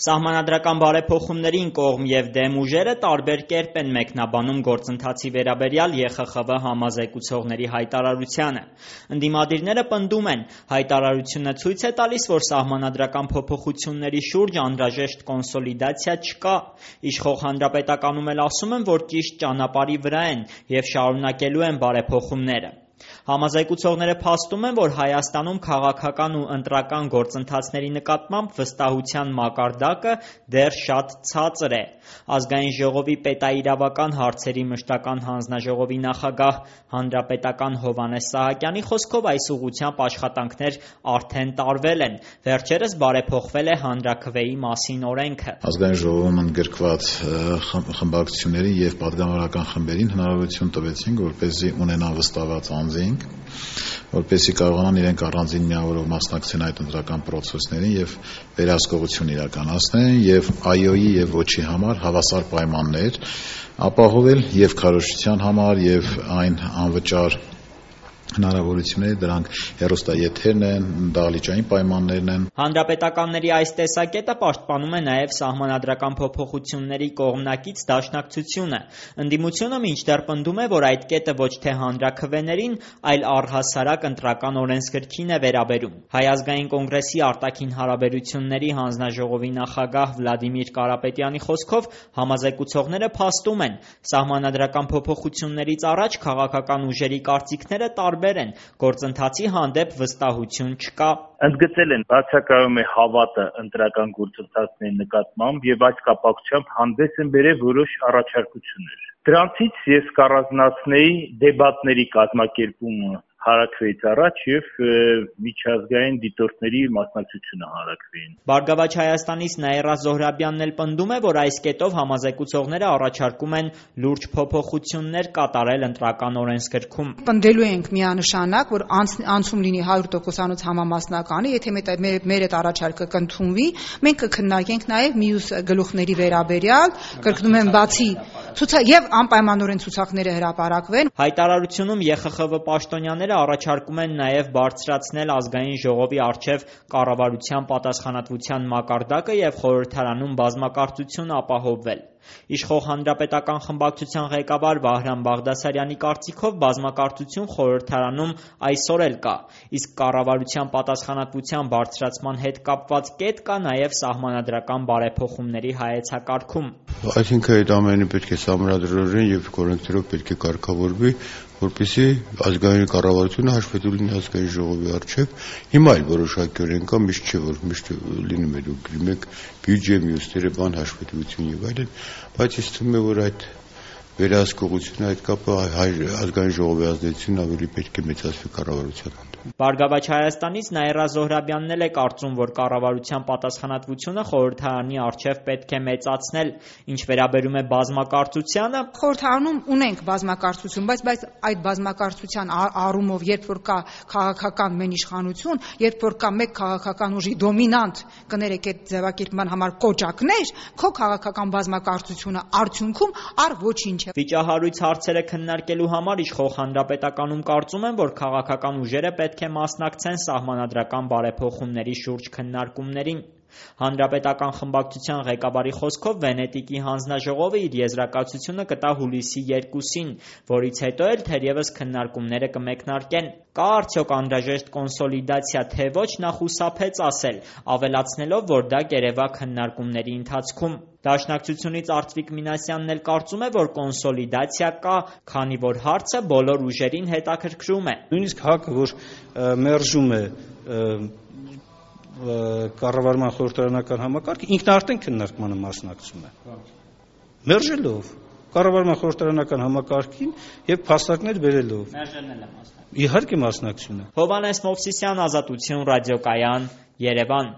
Սահմանադրական բարեփոխումներին կողմ և դեմ ուժերը տարբեր կերպ են մեկնաբանում գործընթացի վերաբերյալ ԵԽԽՎ համազեկուցողների հայտարարությանը։ Ընդդիմադիրները պնդում են, հայտարարությունը ցույց է տալիս, որ սահմանադրական փոփոխությունների շուրջ անհրաժեշտ կոնսոլիդացիա չկա։ Իշխող Հանրապետականում էլ ասում են, որ ճիշտ ճանապարհի վրա են և շարունակելու են բարեփոխումները։ Համազեկուցողները փաստում են, որ Հայաստանում քաղաքական ու ընտրական գործընթացների նկատմամբ վստահության մակարդակը դեռ շատ ցածր է։ Ազգային ժողովի պետաիրավական հարցերի մշտական հանձնաժողովի նախագահ հանրապետական Հովհաննես Սահակյանի խոսքով այս ուղղությամբ աշխատանքներ արդեն տարվել են։ Վերջերս բարեփոխվել է Հանրաքվեի մասին օրենքը։ Ազգային ժողովում ընդգրկված խմբակցությունների և պատգամավորական խմբերին հնարավորություն տվեցինք, որպեսզի ունենան վստահված անձինք, որպեսզի կարողանան իրենք առանձին միավորով մասնակցեն այդ ընտրական պրոցեսներին և վերահսկողություն իրականացնեն և այոյի և ոչի համար հավասար պայմաններ ապահովել և քարոզչության համար և այն անվճար հնարավորությունները, դրանք հեռուստաեթերն են, դահլիճային պայմաններն են։ Հանրապետականների այս տեսակետը պաշտպանում է նաև սահմանադրական փոփոխությունների կողմնակից դաշնակցությունը։ Ընդդիմությունը մինչդեռ պնդում է, որ այդ կետը ոչ թե հանրաքվեներին, այլ առհասարակ ընտրական օրենսգրքին է վերաբերում։ Հայ ազգային կոնգրեսի արտաքին հարաբերությունների հանձնաժողովի նախագահ Վլադիմիր Կարապետյանի խոսքով համազեկուցողները փաստում են, սահմանադրական փոփոխություններից առաջ քաղաքական ուժերի կարծիքները տարբեր են, գործընթացի հանդեպ վստահություն չկա։ Ընդգծել են, բացակայում է հավատը ընտրական գործընթացների նկատմամբ և այս կապակցությամբ հանդես են բերել որոշ առաջարկություններ։ Դրանցից ես կառանձնացնեի դեբատների կազմակերպումը Հանրաքվեից առաջ և միջազգային դիտորդների մասնակցությունը Հանրաքվեին։ Բարգավաճ Հայաստանից Նաիրա Զոհրաբյանն էլ պնդում է, որ այս կետով համազեկուցողները առաջարկում են լուրջ փոփոխություններ կատարել ընտրական օրենսգրքում։ Պնդելու ենք միանշանակ, որ անցում լինի 100%-անոց համամասնականը, եթե մեր այդ առաջարկը կընդունվի, մենք կքննարկենք նաև մյուս գլուխների վերաբերյալ, կրկնում եմ, բացի եւ անպայմանորեն ցուցակները հրապարակվեն։ Հայտարարությունում ԵԽԽՎ պաշտոնյաները առաջարկում են նաև բարձրացնել ազգային ժողովի առջև կառավարության պատասխանատվության մակարդակը եւ խորհրդարանում բազմակարծություն ապահովվել։ Իշխող հանրապետական խմբակցության ղեկավար Վահրամ Բաղդասարյանի կարծիքով բազմակարծություն խորհրդարանում այսօր էլ կա, իսկ կառավարության պատասխանատվության բարձրացման հետ կապված կետ կա նաև սահմանադրական բարեփոխումների հայեցակարգում։ Այսինքն այդ ամենը պետք է սահմանադրորեն եւ կորեկտորով պետք է կարգավորվի, որպեսզի ազգային կառավարությունը հաշվետու լինի ազգային ժողովի առջև։ Հիմա էլ որոշակիորեն կա, միշտ չէ, որ միշտ լինում է, դուք գրում եք բյուջե, մյուսները բան հաշվետվություն եւ այլն, բայց ինձ թվում է, որ այդ վերահսկողությունը, այդ կապը ազգային ժողովի ազդեցությունն ավելի պետք է մեծացվի կառավարության հանդեպ։ Բարգավաճ Հայաստանից Նաիրա Զոհրաբյանն էլ է կարծում, որ կառավարության պատասխանատվությունը խորհրդարանի առջև պետք է մեծացնել։ Ինչ վերաբերում է բազմակարծությանը, խորհրդարանում ունենք բազմակարծություն, բայց այդ բազմակարծության առումով, երբ որ կա քաղաքական մենիշխանություն, երբ որ կա մեկ քաղաքական ուժի դոմինանտ, կներեք այդ ձևակերպման համար կոճակներ, քո քաղաքական բազմակարծությունը արդյունքում առ ոչինչ է։ Վիճահարույց հարցերը քննարկելու համար իշխող հանրապետականում կարծում են, որ քաղաքական ուժերը պետք է մասնակցեն սահմանադրական բարեփոխումների շուրջ քննարկումներին։ Հանրապետական խմբակցության ղեկավարի խոսքով Վենետիկի հանձնաժողովը իր եզրակացությունը կտա հուլիսի 2-ին, որից հետո էլ թերևս քննարկումները կմեկնարկեն։ Կա արդյոք անհրաժեշտ կոնսոլիդացիա, թե ոչ, նա խուսափեց ասել, ավելացնելով, որ դա կերևա քննարկումների ընթացքում։ Դաշնակցությունից Արծվիկ Մինասյանն էլ կարծում է, որ կոնսոլիդացիա կա, քանի որ հարցը բոլոր ուժերին հետաքրքրում է։ Նույնիսկ ՀԱԿ-ը, որ մերժում է կառավարման խորհրդարանական համակարգը, ինքն արդեն քննարկմանը մասնակցում է։ Մերժելով կառավարման խորհրդարանական համակարգին եւ փաստարկներ բերելով։ Մերժելն էլ է մասնակցում։ Իհարկե մասնակցում է։ Հովհաննես Մովսիսյան, Ազատություն, ռադիոկայան, Երևան։